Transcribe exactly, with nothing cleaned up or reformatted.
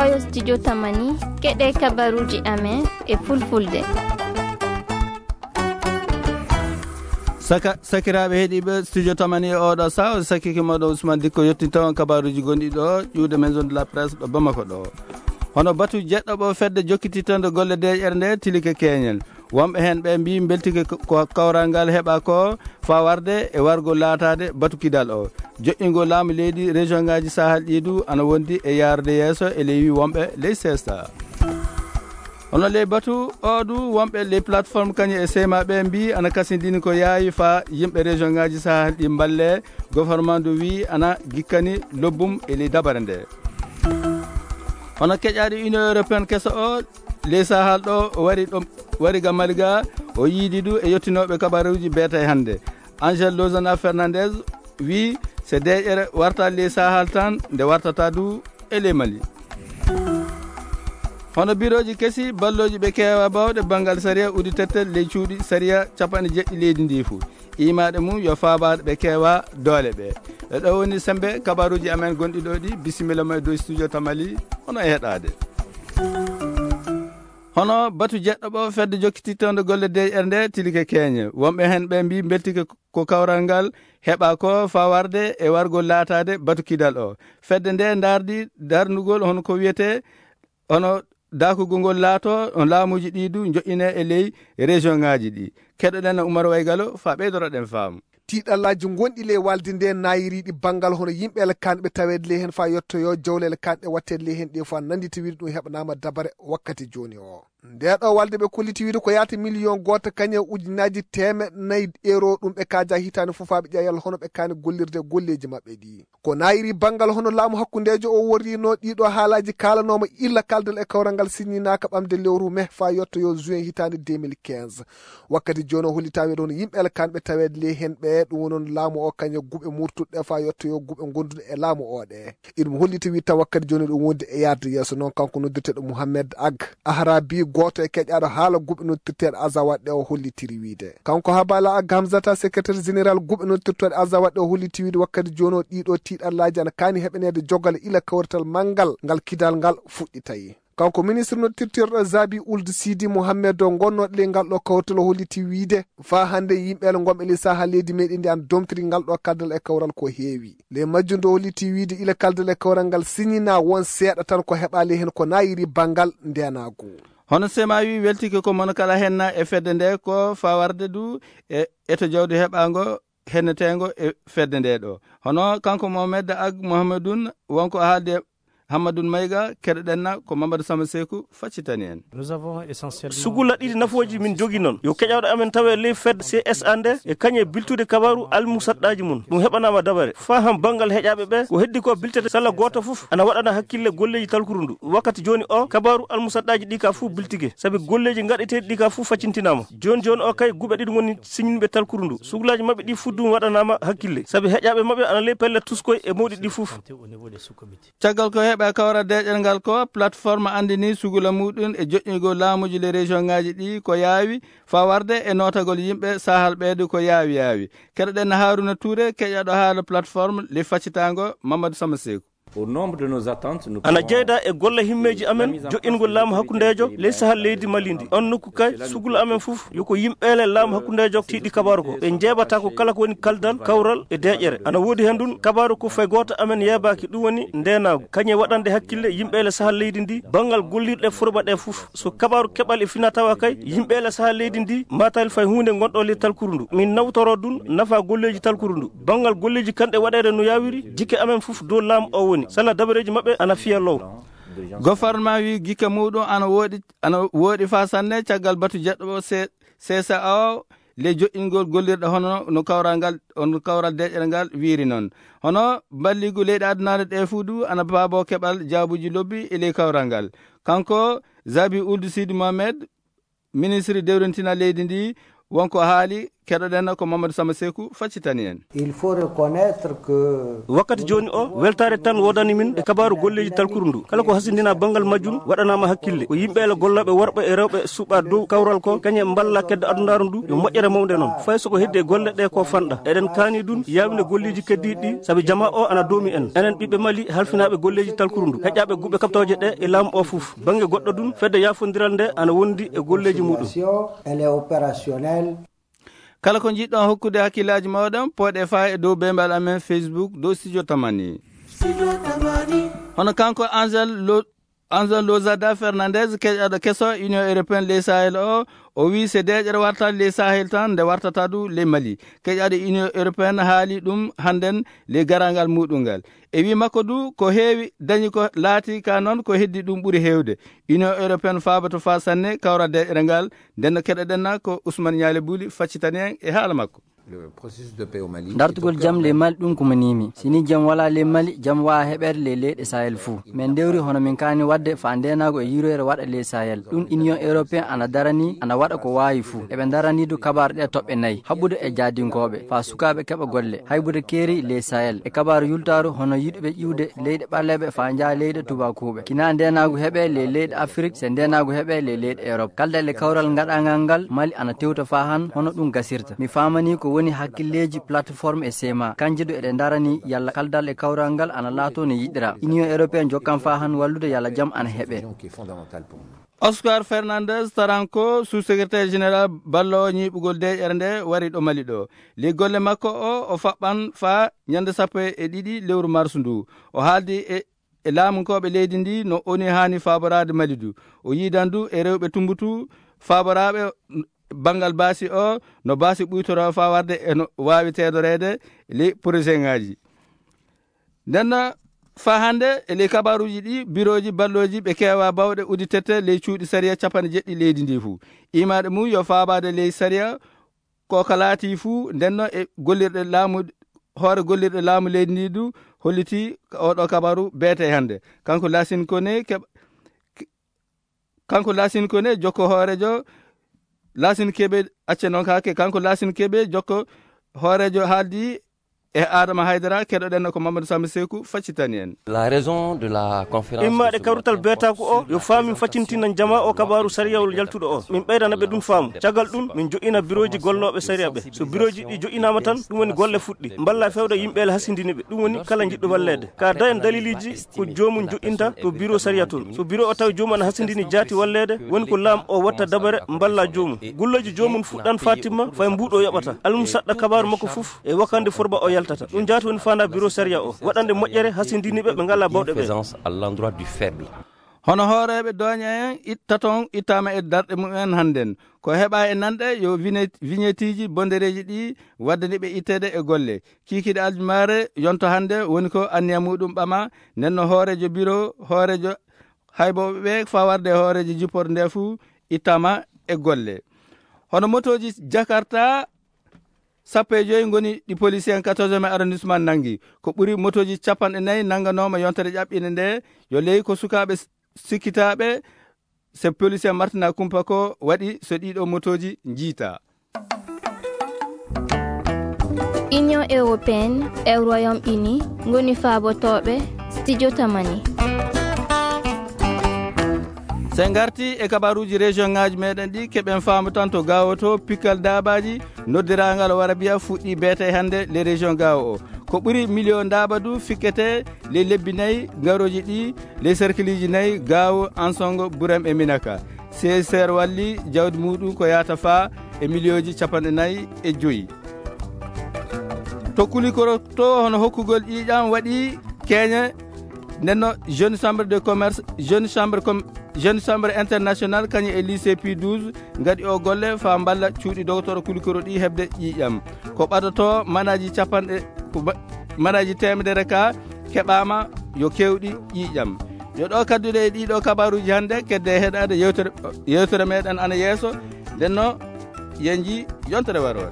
Oyo studio Tamani, keɗe kabaruji amen e fulfulde. Saka, sakiraaɓe heɗiiɓe studio Tamani e oɗo saha, o sakiki moɗo Ousmane Dikko yettinta on kabaruji gonɗi ɗo, ƴuwde maison de la presse ɗo Bamako ɗo. Hono batu jeɗɗo ɓo fedde jokkititande golle deeƴere nde tilike keñen. Wonɓe heen ɓe mbii mbeltike ko, ko kawral ngal heɓa ko faa warde e wargo laataade batu kidal o. Joƴƴingol laamu leydi région ngaji Sahel ɗi du ana wondi e yaarde yeeso e ley wi wonɓe ley sesta. Hono ley batu o du wonɓe ley plateforme kañum e seyma ɓe mbii ana kasindini ko yaawi faa yimɓe région ngaji Sahel ɗi mballe, gouvernement du wi ana gikkani lobbum e ley dabare nde. Hono keƴaɗo Union Européenne keso o, ley Sahel ɗo wari ɗo, wari ga Mali ga, o yiidi du e yettinooɓe kabaruuji beetay hannde. Angel Lozana Fernandez wi se deeƴere warta ley Sahel tan, nde wartata du e ley Mali. Hono birooji kesi, ballooji ɓe keewa bawɗe banngal sariya udditettel ley cuuɗi sariya capanɗe jeɗɗi leydi ndi fuu. Imaɗe mum yo faabaade ɓe keewa doole ɓe. E ɗo woni sembe kabaruuji amen gonɗi ɗo ɗi, bisimilla ma e dow studio Tamali, hono e heɗaade. Hono batu jeɗɗo ɓo fedde jokkitittonde golle D R nde tilike keeñe. Wonɓe heen ɓe mbii mbeltike ko kawral ngal heɓa ko faa warde e wargol laataade batu kidal o. Fedde nde ndaardi darnugol hono ko wiyetee hono daakugol ngol laato, on laamuuji ɗi du njoƴƴine e ley région ŋaaji ɗi. Keɗoɗen Oumar Waygalo faa ɓeydoroɗen faamu. Tiiɗallaaji ngonɗi ley walde nde naayiriiɗi banngal hono yimɓe ele kaanɓe taweede ley heen faa yettoyoo jawle ele kaanɗe waɗteede ley heen ɗe faa nanndita wiide ɗum heɓanaama dabare wakkati jooni o. Nde ɗo walde ɓe kolliti wiide ko yaata miliyoŋ gooto kañe ujunaaji teemeɗɗe nayi euro ɗum ɓe kaaja hitaande fof faa ɓe ƴeewa yalla hono ɓe kaani gollirde golleeji maɓɓe ɗi. Ko naayiri banngal hono laamu hakkundeejo o worriino ɗiɗo haalaaji kaalanooma illa kaldal e kawral ngal siññinaaka ɓamde lewru me faa yettoyoo juin hitaande deux mille quinze. Wakkati jooni o hollitaa wiide hono yimɓe ele kaanɓe taweede ley heen ɓe ɗum woni on laamu o kañe guɓe murtuɗe faa yettoyoo guɓe ngonduɗe e laamu o ɗe. Iɗum holliti wiide taw wakkati jooni ɗum wondi e yaarde yeeso. Noon kanko noddirteeɗo Mouhamed Ag Ahrabi, gooto e keƴaaɗo haala guɓe noddirteeɗo Azawad ɗe o hollitiri wiide. Kanko Habala Ag Hamzata, secrétaire général guɓe noddirtooɗe Azawad ɗe o holliti wiide wakkati jooni o ɗiɗo tiiɗallaaji ana kaani heɓaneede jogal ila kawrital manngal ngal kidal ngal fuɗɗitay. Kanko ministre noddirteeɗo Zabi Ould Sidi Mohamed o ngonnooɗo ley ngal ɗo kawrital o holliti wiide faa hannde yimɓe ele ngonɓe ley sahaa leydi meɗen ndi ana domtiri ngal ɗo kaldal e kawral ko heewi. Ley majjum nde o holliti wiide ila kaldal e kawral ngal siñinaa won seeɗa tan ko heɓaa ley heen ko naayiri banngal ndeenaagu. Hono sema wi weltike ko mono kala henna e fedde nde ko faa warde du e eto jawdi heɓaango henneteengo e fedde nde ɗo. Hono kanko Mohamed Ag Mohamedun wonko haalde Hammadun Mayga, keɗoɗen na ko Mamadou Sama Seku faccitani en. Nous avons essentiellement Sugula ɗiɗi nafooji min jogi noon. Yo keƴaaɗo amen tawe ley fedde C S A nde e kañe biltude kabaaru almusaɗɗaaji mum. Ɗum heɓanaama dabare. Faa han banngal heƴaaɓe ɓe, ko heddi ko biltete salla gooto fof ana waɗana hakkille golleeji talkuru ndu. Wakkati jooni o, kabaaru almusaɗɗaaji ɗi ka fof biltike. Sabi golleeji ngaɗeteeɗi ɗi ka fof faccintinaama. Jooni jooni o kay guɓe ɗiɗi ngoni siñinɓe talkuru ndu. Sugulaaji maɓɓe ɗi fof ɗum waɗanaama hakkille. Sabi heƴaaɓe maɓɓe ana ley pelle tuskoy e mawɗi ɗi fof. Au niveau des sous-comités. Caggal ko heɓa kawral deeƴere ngal ko, plateforme anndini sugula muɗum e joƴƴingol laamuuji le région ŋaaji ɗi ko yaawi, faa warde e nootagol yimɓe sahal ɓeedu ko yaawi yaawi. Keɗoɗen Haruna Touré, keƴaɗo haala plateforme le faccitaango Mamadou Sama Seku. Au nombre de nos attentes, nous Ana pouvons jeyda e golle himmeeji amen, joƴƴingol laamu hakkundeejo ley sahal leydi Mali ndi. On nokku kay, sugula amen fof, yo ko yimɓeele laamu hakkundeejo tiiɗi kabaaru ko. Ɓe njeeɓata ko kala ko woni kaldal, kawral e deeƴere. Ana woodi heen ɗum kabaaru ko fay gooto amen yeebaaki, ɗum woni ndeenaagu. Kañe waɗande hakkille yimɓeele sahal leydi ndi, banngal gollirɗe furɓa ɗe fof. So kabaaru keɓal e fina tawa kay, yimɓeele sahal leydi ndi, matal fay huunde ngonɗo ley talkuru ndu. Min nawtoro ɗum nafa golleeji talkuru ndu. Banngal golleeji kanɗe waɗeede no yaawiri, jikke amen fof dow laamu o woni. Sala dabareeji maɓɓe ana fiya low. Gofarma wi gikke muɗum ana woɗi, ana woɗi faa sanne caggal batu jeɗɗo o se-, C S A o le joƴƴingol gollirɗe hono no kawral ngal, on kawral deƴƴere ngal wiiri noon. Hono balligu leyɗe adunaaɗe ɗe fuu du ana baabo keɓal jaabuji lobbi e ley kawral ngal. Kanko Zabi Ould Sidi Mohamed, ministre dewrintina leydi ndi, wonko haali Keɗoɗen ko Mamadou Sama Seku faccitani en. Il faut reconnaître que wakkati jooni o, weltaare tan woodani min e kabaaru golleeji talkuru ndu. Kala ko hasindinaa banngal majjum waɗanaama hakkille. Ko yimɓe ele gollooɓe worɓe e rewɓe suɓaa dow kawral ko kañe mballa kedde adunaaru ndu yo moƴƴere mawnde noon. Fay so ko heddi e golle ɗe ko fanɗa. Eɗen kaani ɗum yaawde golleeji keddiiɗi ɗi, sabi jamaa o ana doomi en. Enen ɓiɓɓe Mali halfinaaɓe golleeji talkuru ndu, heƴaaɓe guɓe kaɓtooje ɗe e laamu o fof. Bannge goɗɗo ɗum, fedde yaafondiral nde ana wondi e golleeji muɗum. Elle est opérationnelle. Kala ko njiɗɗon hokkude hakkillaaji mooɗon, pooɗe faa e dow beembal amen Facebook, dow Studio Tamani. Hono kanko Angel Lo-, Angel Lozada Fernandez, keƴaɗo keso Union Européenne ley Sahel o, o wii se deeƴere warta ley Sahel tan, nde wartata du ley Mali. Keƴaɗo Union Européenne haali ɗum hannden ley garaangal muɗum ngal. E wii makko du, ko heewi dañi ko laati ka noon, ko heddi ɗum ɓuri heewde. Union Européenne faaboto faa sanne kawra deeƴere ngal. Nden no keɗoɗen na ko Ousmane Ñaali Buli faccitani en e haala makko. Le processus de paix au Mali est au cœur même. Dartugol jam ley Mali, ɗum ko mo nimi. Si ni jam wala ley Mali, jam waa heɓeede ley leyɗe Sahel fuu. Min ndewri hono min kaani waɗde faa ndeenaagu e yurweere waɗa ley Sahel. Ɗum Union Européenne ana darani, ana waɗa ko waawi fuu. Eɓe darani du kabaaru ɗe toɓɓe nayi, haɓude e jaadinkooɓe, faa sukaaɓe keɓa golle, haybude keeri ley Sahel, e kabaaru yultaaru hono yiɗuɓe ƴiwde leyɗe ɓaleeɓe faa njaha leyɗe tubaakuuɓe. Kina ndeenaagu heɓe ley leyɗe Afrik, se ndeenaagu heɓe ley leyɗe Erop. Kaldal e kawral ngaɗaangal ngal, Mali ana tewta faa han hono ɗum gasirta. Mi faamani ko woni hakkilleeji plateforme e sema. Kanje du eɗe darani yalla kaldal e kawral ngal ana laato no yiɗira. Union Européenne jokkan faa han wallude yalla jam ana heɓe. Oscar Fernandez Taranko, sous-secrétaire général balloowo ñiiɓugol deeƴere nde, wari ɗo Mali ɗo. Ley golle makko o, o faɓɓan faa ñande sappo e ɗiɗi lewru mars ndu. O haaldi e, e laamunkooɓe leydi ndi no ONU haani faaboraade Mali du. O yiidan du e rewɓe Tumbutu faaboraaɓe banngal baasi o, no baasi ɓuytoroo faa warde e no waawi teedoreede ley poroseŋaaji. Nden no faa hannde e ley kabaaruuji ɗi, birooji ballooji ɓe keewaa bawɗe udditete ley cuuɗi sariya capanɗe jeɗɗi leydi ndi fuu. Imaade mum yo faabaade ley sariya ko ka laati fuu, nden no e gollirɗe laamu, hoore gollirɗe laamu leydi ndi du holliti oɗo kabaaru beete hannde. Kanko Lasin Kone keɓ-, kanko Lasin Kone jokko hoorejo Lasin Kebe, acce noon kaake, kanko Lasin Kebe jokko hoorejo haaldi e Adama Haydara, keɗoɗen ko Mamadou Samba Seku faccitani en. La raison de la conférence. Immaade kawrital beetaaku o, yo faamin faccintinan jamaa o kabaaru sariyawol yaltuɗo o. Min ɓeydana ɓe ɗum faamu. Caggal ɗum, min joƴƴina birooji gollooɓe sariya ɓe. So birooji ɗi joƴƴinaama tan, ɗum woni golle fuɗɗi. Mballa fewda yimɓe ele hasindini ɓe. Ɗum woni kala njiɗɗo walleede. Ka dayen daliliji ko joomum joƴƴinta to biro sariya toon. So biro o tawi joomum ana hasindini jaati walleede, woni ko laam o watta dabare mballa joomum. Gulleeji joomum fuɗɗan faa timma, fay mbuuɗo yoɓata. Almusaɗɗa kabaaru makko fof e wakande forba o yaltata. Ɗum jaati woni faandaa biro sariya o. Waɗande moƴƴere hasindiniiɓe ɓe ngalaa bawɗe ɓe. Présence à l'endroit du faible. Hono hooreeɓe dooña en itta toon ittaama e darɗe mumen hannden. Ko heɓaa e nanɗe yo vigne-, vignetteeji bondereeji ɗi waddani ɓe itteede e golle. Kiikiiɗe aljumaare yonto hannde woni ko anniya muɗum ɓama, nden no hooreejo biro, hooreejo haybooɓe ɓe faa warde hooreejo jippordu nde fuu ittaama e golle. Hono motooji Jakarta sappo e joy ngoni ɗi policier en quatorzième arrondissement nanngi. Ko ɓuri motooji capanɗe nayi nannganooma yontere ƴaɓɓinde nde, yo ley ko sukaaɓe s-, sikkitaaɓe, se policier Martina Kumpa ko waɗi so ɗiɗo motooji njiita. Union Européenne e Royaume-Uni ngoni faabotooɓe Studio Tamani. So en ngarti e kabaaruuji région ŋaaji meɗen ɗi, keɓen faamu tan to Gaawo to, pikkal daabaaji noddiraangal Warabiya fuɗɗi beete hannde le région Gaawo o. Ko ɓuri miliyon daaba du fikkete le lebbi nayi garooji ɗi, le cercleji nayi Gaawo, Ansongo, Burem e Minaka. C S R walli jawdi muɗum ko yaata faa e miliyonji capanɗe nayi e joyi. To Kulikoro to, hono hokkugol ƴiiƴam waɗi keeñe, nden no Jeune Chambre de Commerce, Jeune Chambre Com-, Jeune Chambre International kañum e lycée P douze ngaɗi o golle faa mballa cuuɗi dogotoro Kulikoro ɗi heɓde ƴiiƴam. Ko ɓadoto manaaji capanɗe, ko ba-, manaaji teemedere ka keɓaama yo keewɗi ƴiiƴam. Yo ɗo kadduɗe e ɗiɗo kabaaruuji hannde, kedde heɗaade yewtere, yewtere meɗen ana yeeso. Nden no yenji yontere waroore.